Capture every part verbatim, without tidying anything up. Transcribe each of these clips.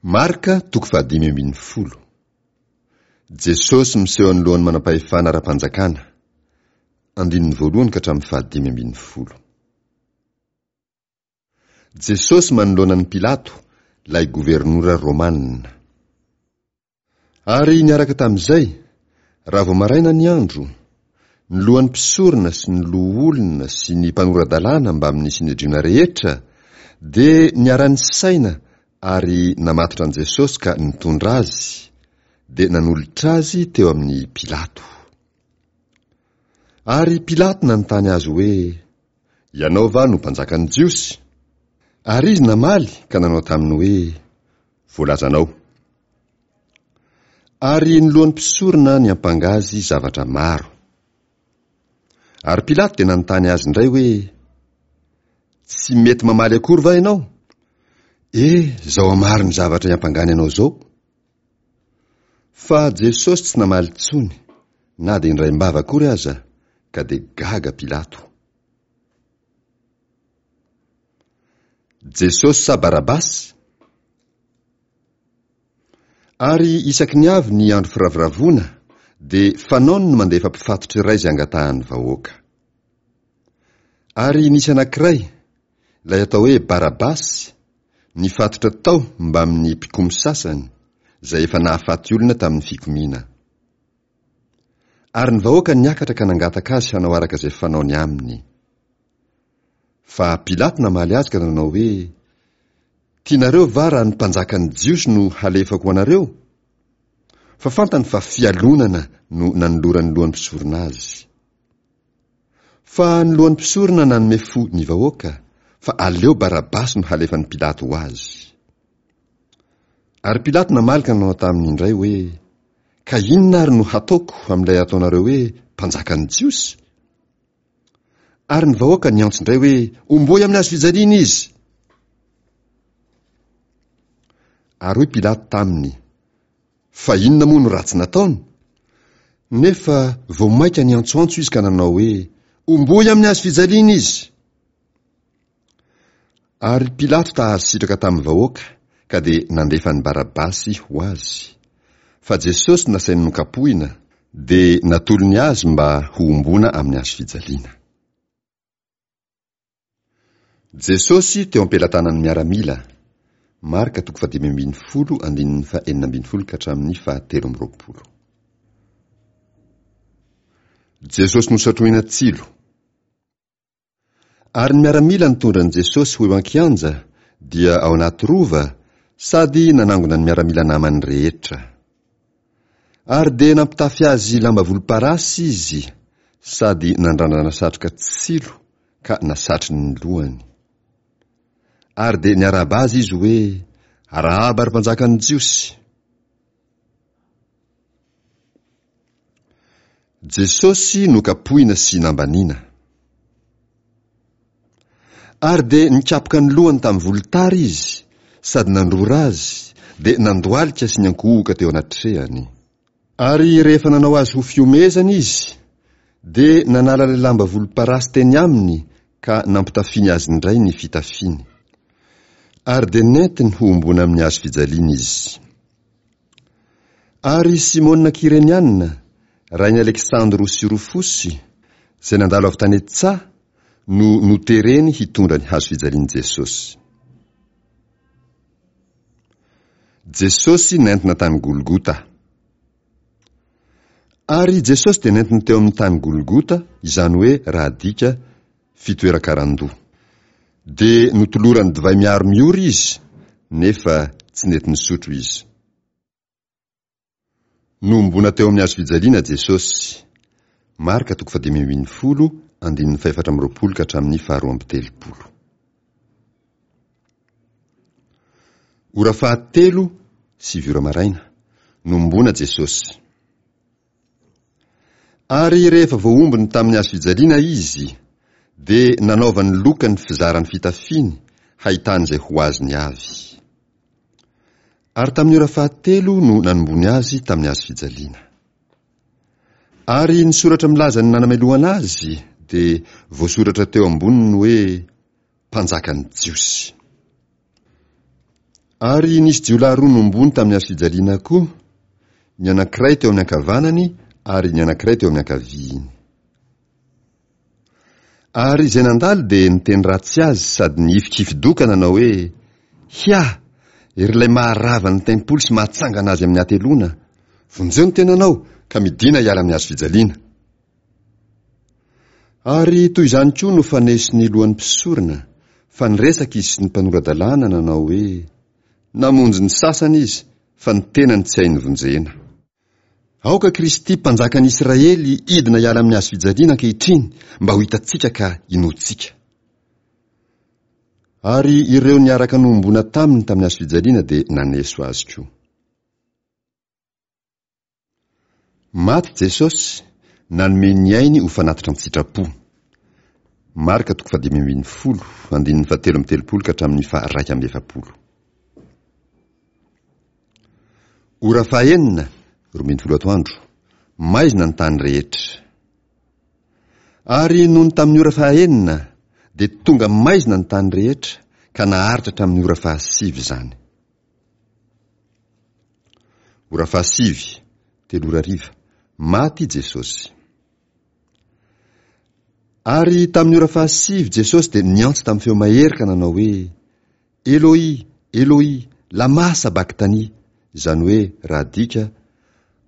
Marka toko fahadimy ambin'ny folo. Jesosy miseho anoloan'ny manam-pahefana ara-panjakana. Andininy voalohany ka hatramin'ny fahadimy ambin'ny folo. Jesosy manoloana an'i Pilato, ilay governora romana. Ary niaraka tamin'izay, raha vao maraina ny andro, ny lohan'ny mpisorona sy ny loholona sy ny mpanora-dalàna mbamin'ny Synedriona rehetra dia niara-nisaina ary namatotra an'i Jesosy ka nitondra azy, dia nanolotra azy teo amin'i Pilato. Ary Pilato nanontany azy hoe, Ianao va no mpanjakan'ny Jiosy? Ary izy namaly ka nanao taminy hoe, Voalazanao. Ary ny lohan'ny mpisorona niampanga azy zavatra maro. Ary Pilato dia nanontany azy indray hoe, Tsy mety mamaly akory va ianao? E, izao hamaro ny zavatra iampangany anao izao. Fa Jesosy tsy namaly intsony, na dia indraim-bava akory aza, ka dia gaga Pilato. Jesosy sa Barabasy? Ary isaky ny avy ny andro firavoravoana, dia fanaony ny mandefa mpifatotra iray izay angatahan'ny vahoaka. Ary nisy anankiray, ilay atao hoe Barabasy, nifatotra tao mbamin'ny mpikomy sasany, izay efa nahafaty olona tamin'ny fikomiana. Ary ny vahoaka niakatra ka nangataka azy hanao araka izay fanaony aminy. Fa Pilato namaly azy ka nanao hoe, Tianareo va raha ny mpanjakan'ny Jiosy no halefako ho anareo? Fa fantany fa fialonana no nanoloran'ny lohan'ny mpisorona azy. Fa ny lohan'ny mpisorona nanome fo ny vahoaka, fa aleo Barabasy no halefan'i Pilato ho azy. Ary Pilato namaly ka nanao taminy indray hoe, Ka inona ary no hataoko amin'ilay ataonareo hoe mpanjakan'ny Jiosy? Ary ny vahoaka niantso indray hoe, Homboy amin'ny hazo fijaliana izy! Ary hoy Pilato taminy, Fa inona moa no ratsy nataony? Nefa vao mainka niantsoantso izy ka nanao hoe, Homboy amin'ny hazo fijaliana izy! Ary Pilato ta-hahazo sitraka tamin'ny vahoaka, ka dia nandefa an'i Barabasy ho azy. Fa Jesosy nasainy nokapohina, dia natolony azy mba hohomboana amin'ny hazo fijaliana. Jesosy teo am-pelatanan'ny miaramila, Marka toko fahadimy ambin'ny folo andininy fahenina ambin'ny folo ka hatramin'ny fahatelo amby roapolo. Jesosy nosatrohina tsilo. Ary ny miaramila nitondra an'i Jesosy ho eo an-kianja, dia ao anaty rova, sady nanangona ny miaramila namany rehetra. Ary dia nampitafy azy lamba volomparasy izy, sady nandrandrana satroka tsilo ka nasatriny ny lohany. Ary dia niarahaba azy izy hoe, Arahaba ry mpanjakan'ny Jiosy! Jesosy nokapohina sy nambaniana. Ary dia nikapoka ny lohany tamin'ny volotara izy, sady nandrora azy, dia nandohalika sy niankohoka teo anatrehany. Ary rehefa nanao azy ho fihomehezana izy, dia nanala ilay lamba volomparasy teny aminy ka nampitafiany azy indray ny fitafiany. Ary dia nentiny hohomboana amin'ny hazo fijaliana izy. Ary Simona Kyreniana, rain'i Aleksandro sy Rofosy, izay nandalo avy tany an-tsaha, no notereny hitondra ny hazo fijalian'i Jesosy. Jesosy nentina tany Golgota. Ary Jesosy dia nentiny teo amin'ny tany Golgota, izany hoe raha adika, fitoeran-karandoha. Dia notolorany divay miharo miora izy, nefa tsy nety nisotro izy. Nohomboana teo amin'ny hazo fijaliana Jesosy. Marka toko fahadimy ambin'ny folo, andininy fahefatra amby roapolo ka hatramin'ny faharoa amby telopolo. Ora fahatelo, sivy ora maraina, nohomboana Jesosy. Ary rehefa voahombony tamin'ny hazo fijaliana izy, dia nanaovany loka ny fizaran'ny fitafiany hahitany izay ho azony avy. Ary tamin'ny ora fahatelo no nanombony azy tamin'ny hazo fijaliana. Ary ny soratra milaza ny nanamelohana azy dia voasoratra teo amboniny hoe Mpanjakan'ny Jiosy. Ary nisy jiolahy roa nombony tamin'ny hazo fijaliana koa, ny anankiray teo amin'ny ankavanany ary ny anankiray teo amin'ny ankaviany. Ary izay nandalo dia niteny ratsy azy sady nihifikifi-doha ka nanao hoe, Hia! Ery ilay maharava ny tempoly sy mahatsangana azy amin'ny hateloana! Vonjeo ny tenanao ka midìna hiala amin'ny hazo fijaliana! Ary toy izany koa no faneso ny lohan'ny mpisorona, fa niresaka izy sy ny mpanora-dalàna nanao hoe, Namonjy ny sasany izy, fa ny tenany tsy hainy vonjena. Aoka Kristy Mpanjakan'ny Israely hidina hiala amin'ny hazo fijaliana ankehitriny mba ho hitantsika ka hinoantsika. Ary ireo niaraka nohomboana taminy tamin'ny hazo fijaliana dia naneso azy koa. Maty Jesosy, nanome ny ainy ho fanatitra an-tsitrapo. Marka toko fahadimy ambin'ny folo, andininy fahatelo amby telopolo ka hatramin'ny faha-raika amby efapolo. Ora fahaenina, roa ambin'ny folo atoandro, maizina ny tany rehetra. Ary nony tamin'ny ora fahaenina, dia tonga maizina ny tany rehetra, ka naharitra hatramin'ny ora fahasivy izany. Ora fahasivy, telo ora hariva, maty Jesosy. Ary tamin'ny ora fahasivy Jesosy dia niantso tamin'ny feo mahery ka nanao hoe, Eloi, Eloi, lama sabaktani, izany hoe raha adika,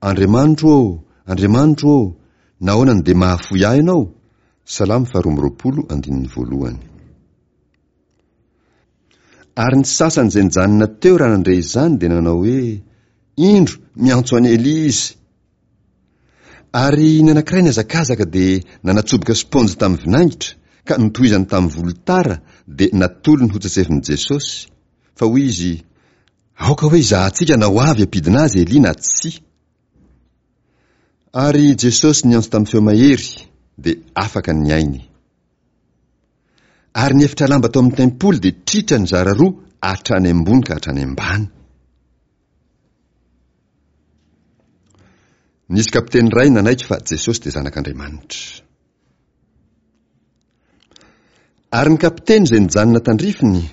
Andriamanitro ô, Andriamanitro ô, nahoana no dia mahafoy ahy Ianao? Salamo faharoa amby roapolo andininy voalohany. Ary ny sasany izay nijanona teo raha nandre izany dia nanao hoe, Indro, miantso an'i Elia izy. Ary ny anankiray nihazakazaka dia nanatsoboka spaonjy tamin'ny vinaingitra ka notohizany tamin'ny volotara dia natolony hotsatsefin'i Jesosy, fa hoy izy, Aoka hoe hizahantsika na ho avy hampidina azy Elia na tsia. Ary Jesosy niantso tamin'ny feo mahery, dia afaka ny ainy. Ary ny efitra lamba tao amin'ny tempoly dia tritra nizara roa hatrany ambony ka hatrany ambany. Nisy kapiteny iray nanaiky fa Jesosy dia Zanak'Andriamanitra. Ary ny kapiteny izay nijanona tandrifiny,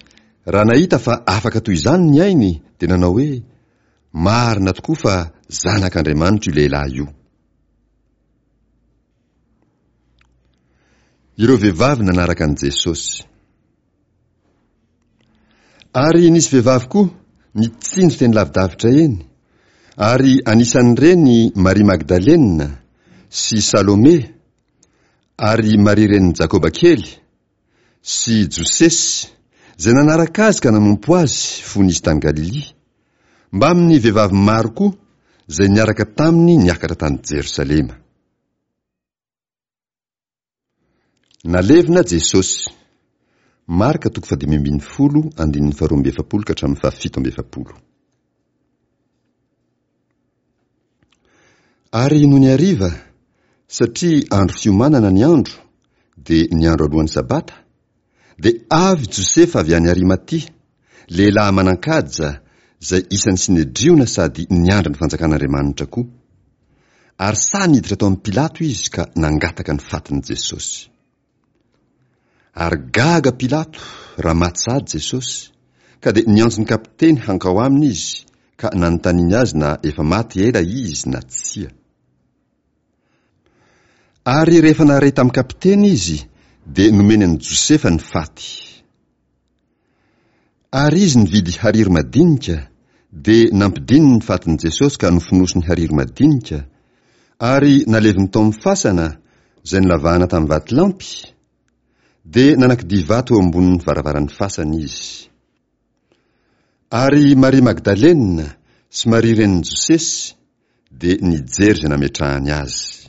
raha nahita fa afaka toy izany ny ainy, dia nanao hoe, Marina tokoa fa Zanak'Andriamanitra io lehilahy io. Ireo vehivavy nanaraka an'i Jesosy. Ary nisy vehivavy koa nitsinjo teny lavidavitra eny, ary anisan'ireny Maria Magdalena sy Salome ary Maria renin'i Jakoba kely sy Josesy, izay nanaraka azy ka nanompo azy fony izy tany Galilia, mbamin'ny vehivavy maro koa izay niaraka taminy niakatra tany Jerosalema. Nalevina Jesosy. Marka toko fahadimy ambin'ny folo, andininy faharoa amby efapolo ka hatramin'ny fahafito amby efapolo. Ary nony hariva, satria andro fiomanana ny andro, dia ny andro alohan'ny Sabata, dia avy Josefa avy any Arimatia, lehilahy manan-kaja, izay isan'ny Synedriona sady niandry ny fanjakan'Andriamanitra koa. Ary sahy niditra tao amin'i Pilato izy ka nangataka ny fatin'i Jesosy. Ary gaga Pilato raha maty sahady Jesosy, ka dia niantso ny kapiteny hankao aminy izy ka nanontaniany azy na efa maty ela izy na tsia. Ary rehefa nahare tamin'ny kapiteny izy, dia nomeny an'i Josefa ny faty. Ary izy nividy hariry madinika, dia nampidininy ny fatin'i Jesosy ka nofonosiny hariry madinika, ary naleviny tao amin'ny fasana, izay nolavahana tamin'ny vatolampy, dia nanakidia vato eo ambonin'ny varavaran'ny fasana izy. Ary Maria Magdalena sy Maria renin'i Josesy dia nijery izay nametrahany azy.